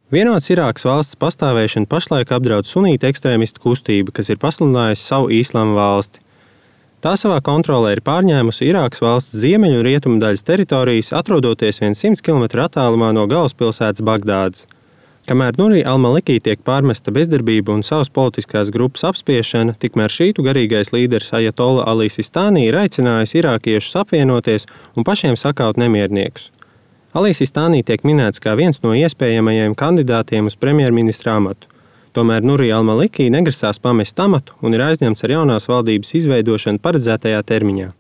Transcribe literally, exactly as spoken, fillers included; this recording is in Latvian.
Vienotas Irākas valsts pastāvēšanu pašlaik apdraud sunītu ekstrēmistu kustība, kas ir pasludinājusi savu Īslama valsti. Tā savā kontrolē ir pārņēmusi Irākas valsts ziemeļu un rietumu daļas teritorijas, atrodoties vien simts kilometru attālumā no galvaspilsētas Bagdādas. Kamēr Nuri al-Maliki tiek pārmesta bezdarbība un savas politiskās grupas apspiešana, tikmēr šītu garīgais līderis Ajatolla Ali Sistānī ir aicinājis irākiešus apvienoties un pašiem sakaut nemierniekus. Ali Sistānī tiek minēts kā viens no iespējamajiem kandidātiem uz premjerministra amatu. Tomēr Nuri al-Maliki negrasās pamest amatu un ir aizņemts ar jaunās valdības izveidošanu paredzētajā termiņā.